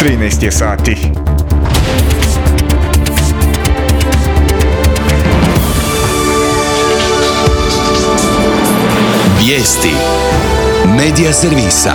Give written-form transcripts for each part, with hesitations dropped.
13 je sati. Vijesti Medija servisa.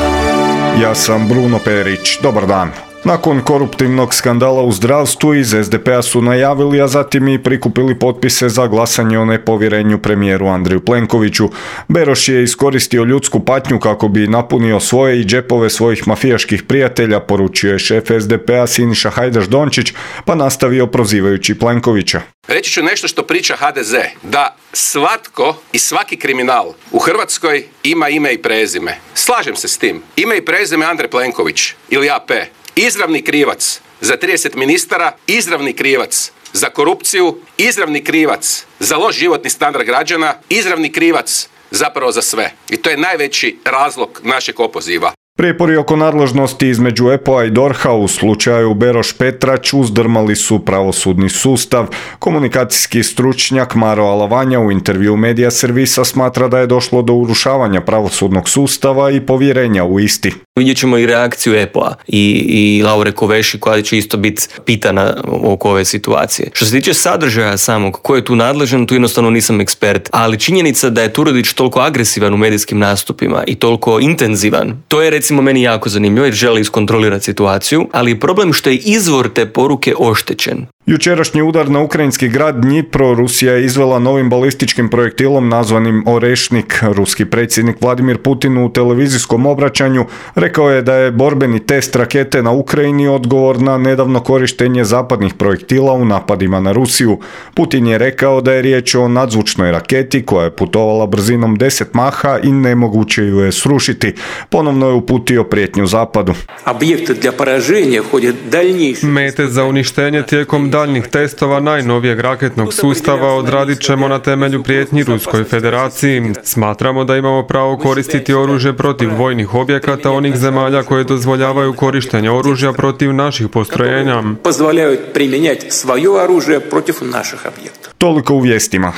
Ja sam Bruno Perić. Dobar dan. Nakon koruptivnog skandala u zdravstvu iz SDP-a su najavili, a zatim i prikupili potpise za glasanje o nepovjerenju premijeru Andreju Plenkoviću. Beroš je iskoristio ljudsku patnju kako bi napunio svoje i džepove svojih mafijaških prijatelja, poručio je šef SDP-a Siniša Hajdaš Dončić, pa nastavio prozivajući Plenkovića. Reći ću nešto što priča HDZ, da svatko i svaki kriminal u Hrvatskoj ima ime i prezime. Slažem se s tim. Ime i prezime Andrej Plenković ili AP. Izravni krivac za 30 ministara, izravni krivac za korupciju, izravni krivac za loš životni standard građana, izravni krivac zapravo za sve. I to je najveći razlog našeg opoziva. Prijepori oko nadležnosti između EPO-a i DORH-a u slučaju Beroš-Petrać uzdrmali su pravosudni sustav. Komunikacijski stručnjak Maro Alavanja u intervju Medija servisa smatra da je došlo do urušavanja pravosudnog sustava i povjerenja u isti. Vidjet ćemo i reakciju EPO-a i Laure Koveši koja će isto biti pitana oko ove situacije. Što se tiče sadržaja samog, ko je tu nadležan, tu jednostavno nisam ekspert, ali činjenica da je Turudić toliko agresivan u medijskim nastupima i toliko intenzivan, to je recimo meni jako zanimljivo jer želi iskontrolirati situaciju, ali je problem što je izvor te poruke oštećen. Jučerašnji udar na ukrajinski grad Dnipro Rusija je izvela novim balističkim projektilom nazvanim Orešnik. Ruski predsjednik Vladimir Putin u televizijskom obraćanju rekao je da je borbeni test rakete na Ukrajini odgovor na nedavno korištenje zapadnih projektila u napadima na Rusiju. Putin je rekao da je riječ o nadzvučnoj raketi koja je putovala brzinom 10 maha i nemoguće ju je srušiti. Ponovno je uputio prijetnju zapadu. Mete za uništenje tijekom daljnjih testova najnovijeg raketnog sustava odradit ćemo na temelju prijetnji Ruskoj federaciji. Smatramo da imamo pravo koristiti oružje protiv vojnih objekata onih zemalja koje dozvoljavaju korištenje oružja protiv naših postrojenja. Toliko u vijestima.